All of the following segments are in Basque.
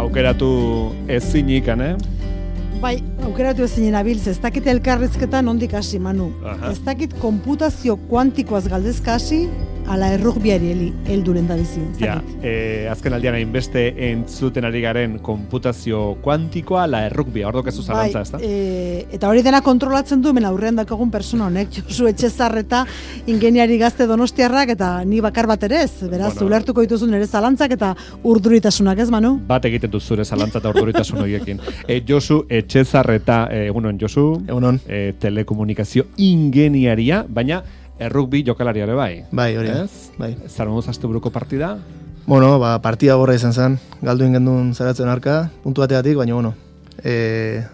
aukeratu ezinikan, Bai, aukeratu ezinen abiltz, ez dakit elkarrizketan ondik hasi, Manu. Ez dakit konputazio kuantikoaz galdezka hasi, ala errugbiari helduren da bizi. Ja, azken aldian hainbeste entzuten ari garen konputazio kuantikoa, ala errugbia, hor dokezu zalantza, ez da? Eta hori dena kontrolatzen du, hemen aurrean dakagun persona honek, Josu Etxezarreta ingeniari gazte donostiarrak, eta ni bakar bat ere ez, beraz, ulertuko dituzu nire zalantzak eta urduritasunak, ez, Manu? Bat egiten du zure zalantza eta urduritasun horiekin. Josu Etxezarreta, egunon, Josu? Egunon. Telekomunikazio ingeniaria, baina errugbi jokalariare bai. Bai, hori. Bai. Zara moduz asteburuko partida? Bueno, partida gorra izan zen. Galdu ingendun zaratzen arka, puntu bateatik, baina bueno.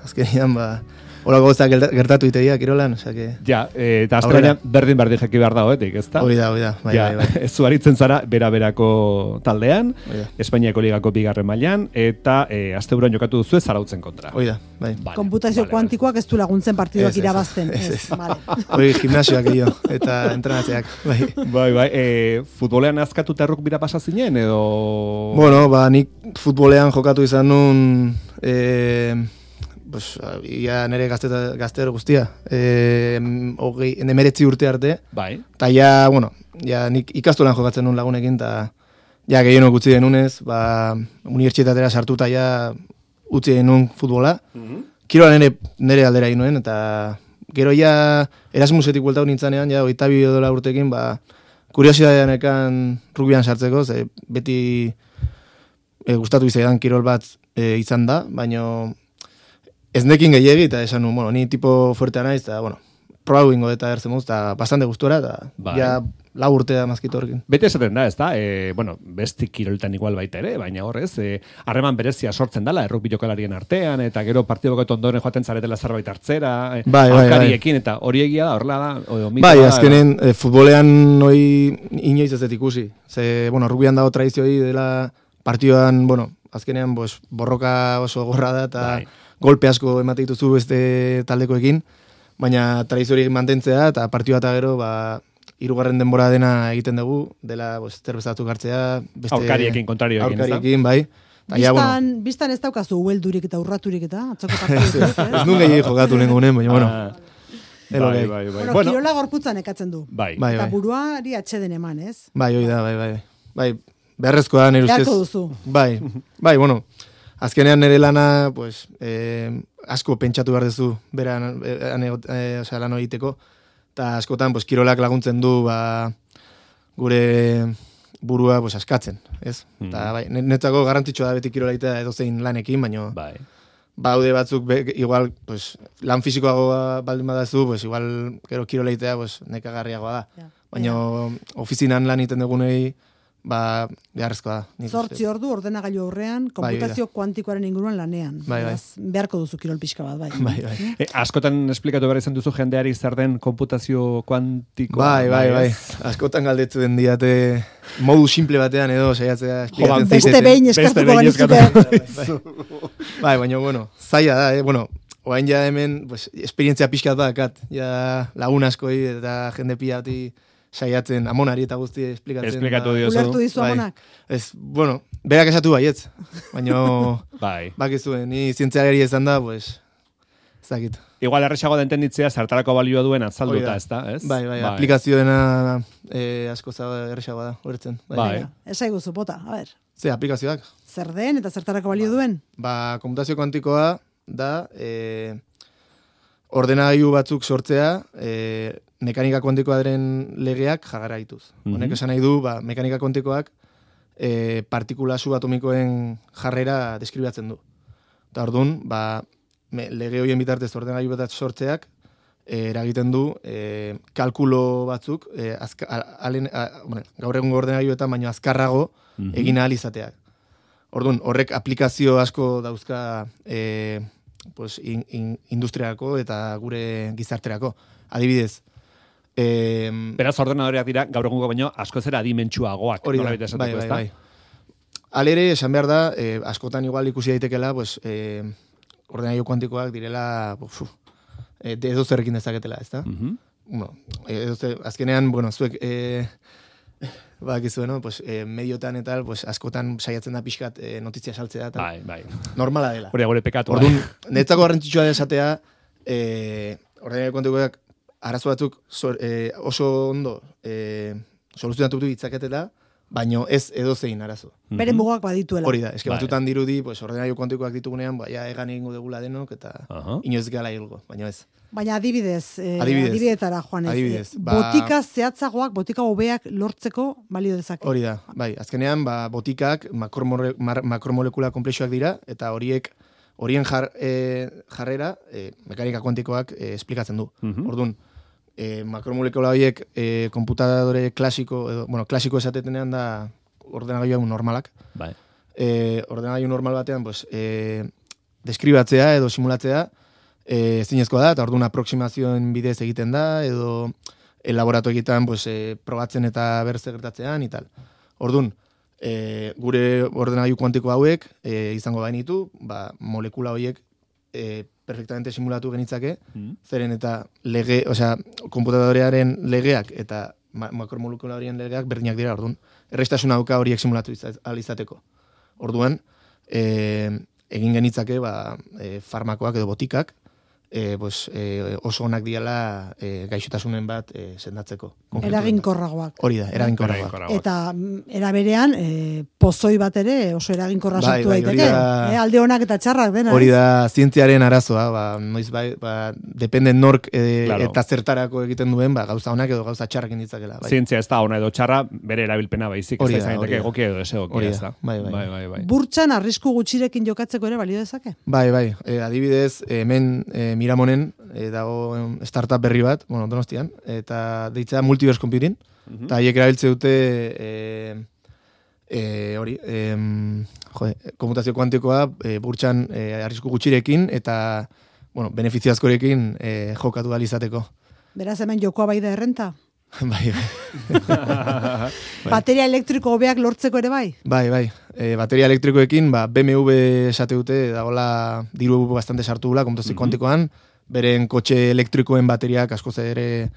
Azkenian, horako gozak gertatu itegia, kirolan, osake... Ja, eta azkenean berdin jaki behar da hoetik, ez da? Hori da, bai. Ez zuaritzen zara, bera-berako taldean, Espainiako ligako bigarren mailan, eta asteburuan jokatu duzu zarautzen kontra. Hori da, bai. Konputazio kuantikoak ez du laguntzen partiduak irabazten. Hori gimnasioak egio, eta entrenatzeak, bai. Bai, futbolean azkatuta errukbira pasa zinen, edo... Bueno, nik futbolean jokatu izan nun... ia nire gazter guztia. 19 urte arte. Bai. Eta nik ikastolan jokatzen nun lagunekin, eta gehienok utzi denunez, unibertsitatera sartuta utzi denun futbola. Kirola nire aldera inuen, eta gero Erasmusetik bueltau nintzanean, 22 urtekin, kuriosidadean ekan rugbian sartzeko, ze beti gustatu izaidan kirol bat izan da, baina ez nekin gehiagi, eta esan nun, ni tipo fuertea naiz, eta, probau ingo eta ertzen muz, eta bastante gustora, eta lau urtea mazkitu horrekin. Bete esaten da, ez da? Besti kirolitan igual baita ere, baina horrez, harreman berezia sortzen dala, errukbi jokalarien artean, eta gero partidoko ondoren joaten zaretela zerbait hartzera, alkariekin, eta hori egia da, horrela da? Bai, azkenen, futbolean inoiz ez dut ikusi. Ze, rugbian dago tradizioi dela partidoan, azkenean, borroka oso gorra da, eta golpe asko emate dituzu beste taldekoekin, baina tradizio hori mantentzea, eta partioa eta gero, hirugarren denbora dena egiten dugu, dela zerbezatu hartzea, aurkariekin, kontrarioekin, aurkariekin, bai. Bistan ez daukazu ueldurik eta urraturik eta atzoko partidu. Ez nun gehi jokatu nengunen, baina, Bai. Kirola gorputzan ekatzen du. Bai. Eta buruari atxeden eman, ez? Bai, hoi da, bai. Beharrezkoa da, nire ustez. Beharko duzu. Bai, azkenean nire lana, asko pentsatu behar duzu, lan egiteko, eta askotan, kirolak laguntzen du, gure burua, askatzen, ez? Eta, netzako garrantzitsua da beti kirola egitea edozein lanekin, baina, baude batzuk, igual, lan fisikoagoa baldin badazu, igual, gero kirola egitea, nekagarriagoa da. Baina, ofizinan lan egiten dugunei, beharrezkoa da. 8 ordu ordenagailu aurrean, konputazio kuantikoaren inguruan lanean. Beharko duzu kirol pixka bat, bai. Askotan esplikatu behar izan duzu jendeari zer den konputazio kuantikoa. Bai. Askotan galdetu den diate modu simple batean edo saiatzea esplikatzen zaitete. Beste behin eskartuko galizuke. Bai, baina, zaila da, oain hemen, esperientzia pixkat bakat, lagun askoi eta jende pilati saiatzen amonari eta guzti esplikatu diozu. Ulertu dizu amonak. Berak esatu baietz. Baina, bakizu, ni zientzialari ezan da, ez dakit. Igual erresago da entenditzea, zertarako balioa duen atzalduta, ez da? Bai, aplikazioena asko erresago da, horretzen. Bai. Esai guzu, bota, a ber. Ze, aplikazioak. Zer den eta zertarako balio duen? Konputazio kuantikoa da, ordenagailu batzuk sortzea, mekanika kuantikoa diren legeak jagara dituz. Honek esan nahi du, mekanika kuantikoak partikula subatomikoen jarrera deskribatzen du. Eta orduan, lege horien bitartez ordenagailu bat sortzeak eragiten du kalkulo batzuk gaur egun ordenagailu eta baino azkarrago egin ahal izateak. Orduan, horrek aplikazio asko dauzka industriako eta gure gizarterako. Adibidez, beraz ordenadoreak dira gaur egungo baino asko zera adimentsuagoak. Hori da, bai. Alere, esan behar da, askotan igual ikusi daitekela, ordenagailu kuantikoak direla edo zerrekin dezaketela, ez da? Azkenean, zuek Bakizu, no? Pues, mediotan eta pues, askotan saiatzen da pixkat notizia saltzea. Bai. Normala dela. Hori gure pekatu. Orduan, netzako garrantzitsua da esatea, ordenagailu kuantikoak arazo batzuk oso ondo soluzionatu ditzaketela, baino ez edozein arazo. Bere mugak badituela. Hori da, eske batutan dirudi, pues, ordenagailu kuantikoak ditugunean, egan egingo degula denok, eta inoiz gala hilgo, baino ez. Baina adibidetara, Juan, botika zehatzagoak, botika hobeak lortzeko balio dezake. Hori da, bai, azkenean, botikak makromolekula komplexuak dira, eta horien jarrera mekanika kuantikoak esplikatzen du. Orduan, makromolekula horiek konputadore klasiko, klasiko esatetenean da ordenagailu normalak. Bai. Ordenagailu normal batean, pues, deskribatzea edo simulatzea ezinezkoa da, eta orduan aproksimazioen bidez egiten da, edo laboratoegitan pues, probatzen eta berze gertatzean, y tal. Orduan, gure ordenagailu kuantiko hauek izango bainitu, molekula horiek perfectamente simulatu genitzake, zeren eta konputadorearen legeak eta makromolekula horien legeak berdinak dira, orduan. Erreztasuna dauka horiek simulatu izateko. Orduan, egin genitzake farmakoak edo botikak, oso onak diala gaixotasunen bat sendatzeko. Eraginkorragoak. Hori da, eraginkorragoak. Eta eraberean, pozoi bat ere oso eraginkorra sortu daiteke. Alde onak eta txarrak dena. Hori da, zientziaren arazoa, noiz depende nork eta zertarako egiten duen, gauza onak edo gauza txarrak inditzakela. Zientzia ez da ona edo txarra, bere erabilpena baizik, ez da izan daiteke egokia edo desegokia, ez da. Bai. Burtsan arrisku gutxirekin jokatzeko ere balio dezake? Bai. Adibidez, hemen Miramonen dago startup berri bat, Donostian, eta deitzea Multiverse Computing, eta haiek erabiltze dute konputazio kuantikoa burtsan arrisku gutxirekin eta benefizio askorekin jokatu izateko. Beraz hemen jokoa bai da errenta? Bai. Bateria elektriko hobeak lortzeko ere bai? Bai. Bateria elektrikoekin, BMW esate dute, dagoela diru bastante sartu gula, konputazio kuantikoan, beren kotxe elektrikoen bateriak askoz ere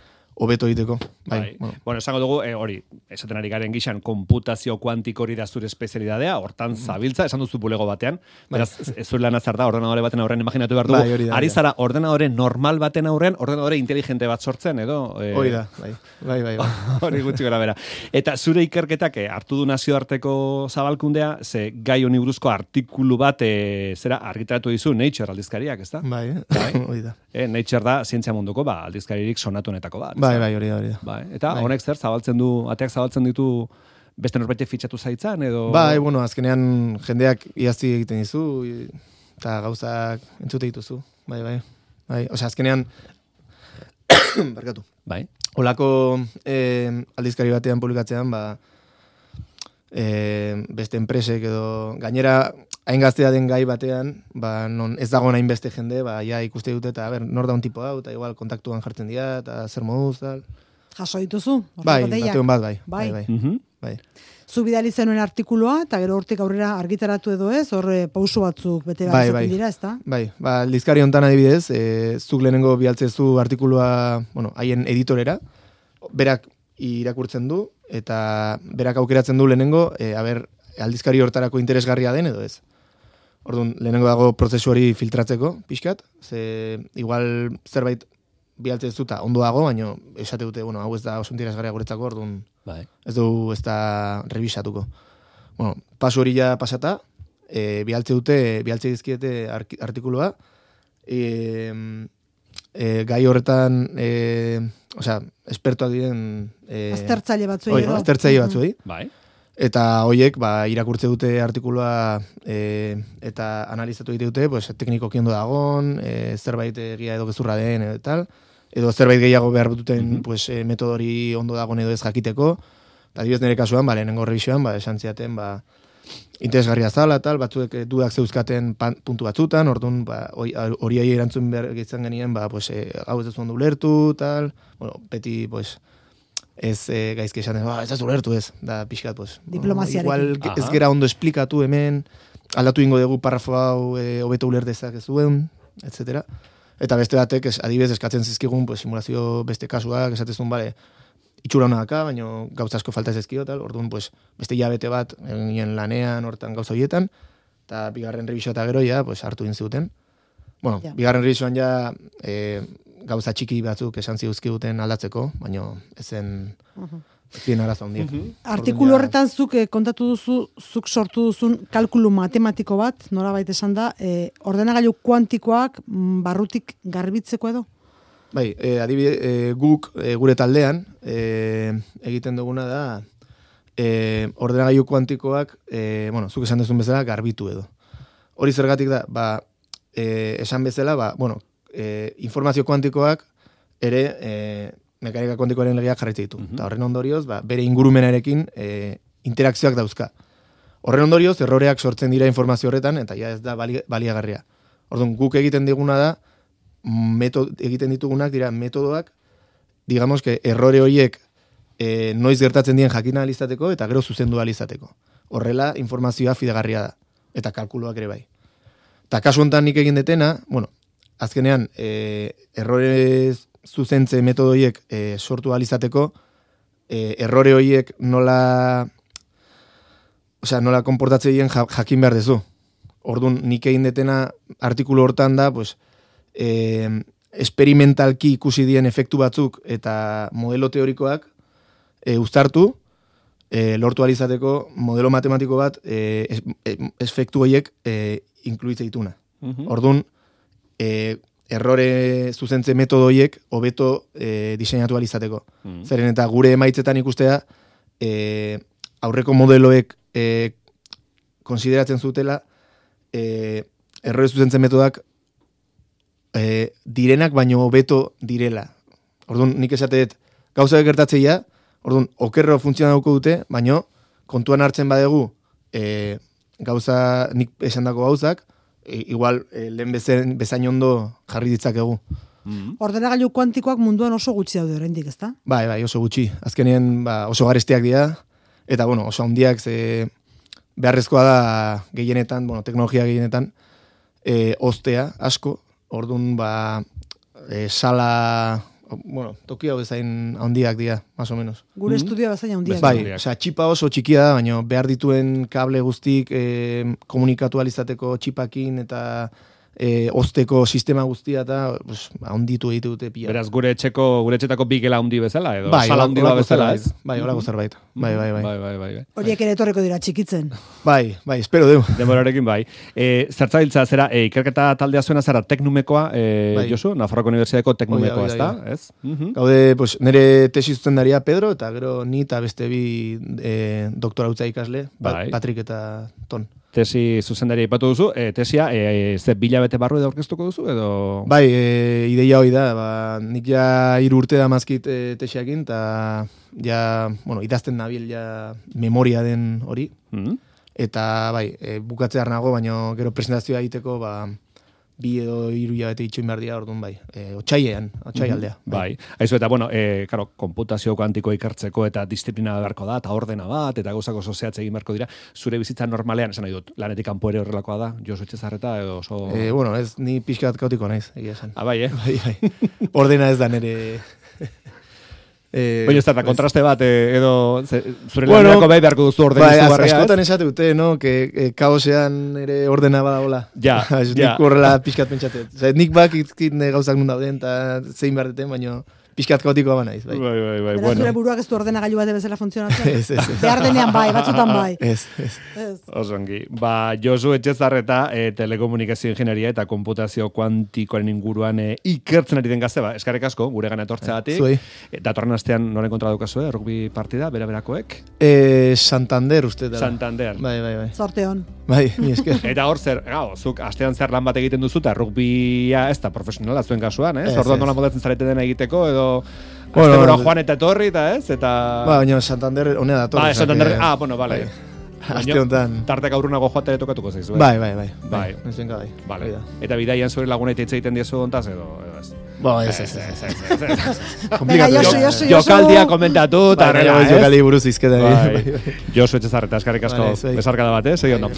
hobeto egiteko. Bai. Bueno, esango dugu, hori, esaten ari garen gixan, konputazio kuantiko hori da zure espezialidadea, hortan zabiltza, esan duzu bulego batean, beraz, ez zure lan azar da, ordenadore baten aurrean imaginatu behar dugu, ari zara ordenadore normal baten aurrean, ordenadore inteligente bat sortzen, edo? Hori da, bai. Hori gutxi gara bera. Eta zure ikerketak hartu du nazioarteko zabalkundea, ze gai honi buruzko artikulu bat zera argitaratu dizu Nature aldizkariak, ez da? Bai, hori da. Nature da zientzia munduko aldizkaririk sonatuenetako bat. Bai, hori da. Bai, eta honek zer ateak zabaltzen ditu beste norbait fitxatu zaitzan edo? Bai, azkenean jendeak iazti egiten dizu eta gauzak entzute dituzu. Bai. Osea, azkenean barkatu. Bai. Olako aldizkari batean publikatzean, beste enpresek edo gainera hain gaztea den gai batean, non ez dago nahin beste jende, ja ikuste dute eta nor da un tipo hau, eta igual kontaktuan jartzen dira, eta zer moduz, tal. Jaso dituzu? Bai, batean bat, bai. Zu bidali zenuen artikuloa, eta gero hortik aurrera argitaratu edo ez, horre pausu batzuk bete behar zaten dira, ez da? Bai, aldizkari hontan adibidez, zuk lehenengo bialtzezu artikulua, haien editorera, berak irakurtzen du, eta berak aukeratzen du lehenengo, aldizkari hortarako interesgarria den edo ez. Orduan, lehenengo dago prozesu hori filtratzeko, pixkat, igual zerbait bialtzen zuta ondo dago, baina esate dute, hau ez da oso interesgarria guretzako, orduan ez du ez da revisatuko. Pasu hori ja pasata, bialtze dizkiete artikuloa, gai horretan, espertoak diren... Aztertzaile batzuei. Bai. Eta hoiek irakurtze dute artikuloa eta analizatu egite dute, teknikoki ondo dagon, zerbait egia edo gezurra den edo tal, edo zerbait gehiago behar duten metodori ondo dagon edo ez jakiteko. Eta adibidez nire kasuan, lehenengo revisioan, esan ziaten, interesgarria zala, tal, batzuek dudak zeuzkaten puntu batzutan, orduan hori erantzun behar gehitzen genien, hau ez ez ondo ulertu, tal, beti, ez gaizki esaten, ez ez ulertu ez, da pixkat, diplomaziarekin. Igual ez gera ondo esplikatu hemen, aldatu ingo dugu parrafo hau hobeto ulertezak ez duen, etc. Eta beste batek, adibidez eskatzen zizkigun, simulazio beste kasuak, esatezun, itxura hona daka, baina gauza asko falta ezkio, tal, orduan, pues, beste hilabete bat, egin lanean, hortan gauza horietan, eta bigarren revisioa eta gero, ja, pues, hartu zuten. Bueno, bigarren revisioan ja, gauza txiki batzuk esan ziuzkiguten aldatzeko, baina ezen... Zien arazo handiak. Artikulu horretan zuk kontatu duzu, zuk sortu duzun kalkulu matematiko bat, nolabait esan da, ordenagailu kuantikoak barrutik garbitzeko edo? Bai, adibide, guk gure taldean egiten duguna da ordenagailu kuantikoak, bueno, zuk esan duzun bezala, garbitu edo. Hori zergatik da, esan bezala, bueno, informazio kuantikoak ere mekanika kuantikoaren legeak jarraitzen ditu. Eta horren ondorioz, bere ingurumenarekin interakzioak dauzka. Horren ondorioz, erroreak sortzen dira informazio horretan, eta ja ez da baliagarria. Orduan, guk egiten diguna da, egiten ditugunak dira metodoak, digamos que errore horiek noiz gertatzen dien jakin alizateko, eta gero zuzendu alizateko. Horrela, informazioa fidagarria da, eta kalkuluak ere bai. Eta kasu honetan nik egin detena, bueno, azkenean, errorez zuzentze metodoiek sortu alizateko, errore horiek nola konportatzeien jakin behar dezu. Orduan, nik egin detena artikulu hortan da, pues, experimentalki ikusi dien efektu batzuk eta modelo teorikoak uztartu, lortu alizateko modelo matematiko bat efektu horiek inkluitze dituna. Orduan, errore zuzentze metodo horiek hobeto diseinatu alizateko. Zeren eta gure emaitzetan ikustea aurreko modeloek konsideratzen zutela errore zuzentze metodak direnak baino hobeto direla. Orduan, nik esatet gauzak gertatzeia, orduan, okerro funtzionatuko dute, baino kontuan hartzen badegu gauza nik esandako gauzak, igual lehen bezain ondo jarri ditzakegu. Ordenagailu kuantikoak munduan oso gutxi daude oraindik, ezta? Bai, oso gutxi. Azkenean oso garestiak dira, eta bueno, oso handiak beharrezkoa da gehienetan, bueno, teknologia gehienetan, ostea asko, orduan sala, bueno, toki hau bezain handiak dira, más o menos. Gure estudia bezain handiak. Bai, osea, txipa oso txikia da, baina behar dituen kable guztik komunikatu alizateko txipakin eta osteko sistema guztia eta handitu egite dute pila. Beraz, gure etxetako bigela handi bezala, edo sala handi bezala, ez? Bai, horako zerbait. Bai. Horiek ere etorreko dira txikitzen. Bai, espero deu. Denborarekin bai. Zertzabiltza zera, ikerketa taldea zuena zara teknumekoa, Josu, Nafarroko Unibertsitateko teknumekoa, ez da? Ez? Gaude, nire tesi zuzendaria Pedro, eta gero ni eta beste bi doktorautza ikasle, Patrick eta Ton. Tesi zuzendaria ipatu duzu, tesia, ze bilabete barru edo aurkeztuko duzu, edo? Bai, ideia hori da, nik ja 3 urte da mazkit tesiakin, eta ja, bueno, idazten nabil ja memoria den hori, eta bai, bukatzear nago, baina gero presentazioa egiteko, 2 edo 3 hilabete itxoin behar dira, orduan bai, otxaialdea. Bai, haizu eta, bueno, komputazio kuantiko ikertzeko eta disiplina beharko da, eta ordena bat, eta gauzako oso zehatz egin beharko dira, zure bizitza normalean, esan nahi dut, lanetik kanpo ere horrelakoa da, Josu Etxezarreta, edo oso... Bueno, ez, ni pixka bat kautiko naiz, egia esan. Bai, Bai. Ordena ez da nire... Baina ez da, kontraste bat, edo zure lanako bai beharko duzu ordena izugarria. Bai, askotan esate dute, no? Que kaosean ere ordena badagola. Ja. Nik horrela pixkat pentsatet. Nik bakizkit gauzak nun dauden, eta zein behar deten, baina pixkat kaotikoa ba naiz. Bai. Beraz, zure buruak ez du ordenagailu bat bezala funtzionatzen? Ez. Behar denean bai, batzutan bai. Ez. Osongi. Josu Etxezarreta, telekomunikazio ingenieria eta komputazio kuantikoaren inguruan ikertzen ari den gazte, eskarek asko, gure gana etortzeatik. Zuei. Datorren astean noren kontra daukazu, rugby partida, berakoek? Santander, uste da. Santander. Bai. Sorte hon. Bai, mi esker. Eta hor zer, zuk astean zer lan bat egiten duzu, eta rugbia ez da profesionala zuen kasuan, ez? Orduan nola modatzen zarete dena egiteko, edo asteburu joan eta etorri, eta ez? Baina Santander honea dator. Santander, bueno, bale. Aste honetan. Tartek aurrunago joatea tokatuko zaizu, Bai. Bai. Vale. Eta bidaian zure laguna hitz egiten diezu hontaz, edo ez? Ez. Komplikatu. Jokaldia komentatu, eta jokaldi buruz izketa. Josu Etxezarreta, eskarrik asko besarkada bat, segi ondo.